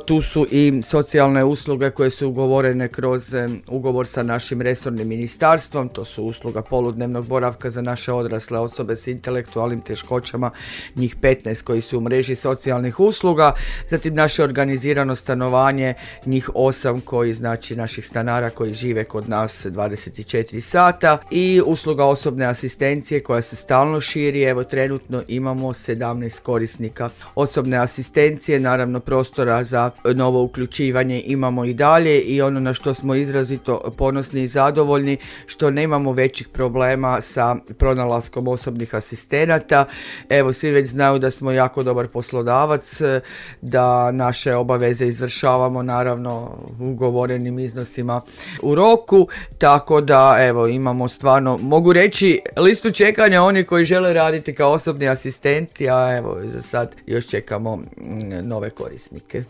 tu su i socijalne usluge koje su ugovorene kroz ugovor sa našim resornim ministarstvom, to su usluga poludnevnog boravka za naše odrasle osobe s intelektualnim teškoćama, njih 15 koji su u mreži socijalnih usluga, zatim naše organizirano stanovanje, njih 8 koji znači naših stanara koji žive kod nas 24 sata i usluga osobne asistencije koja se stalno širi. Evo trenutno imamo 17 korisnika osobne asistencije, naravno prostora za novo uključivanje imamo i dalje i ono na što smo izrazito ponosni i zadovoljni što nemamo većih problema sa pronalaskom osobnih asistenata. Evo svi već znaju da smo jako dobar poslodavac, da naše obaveze izvršavamo naravno ugovorenim iznosima u roku, tako da evo imamo stvarno, mogu reći, listu čekanja oni koji žele raditi kao osobni asistenti, a evo za sad još čekamo nove korisnike.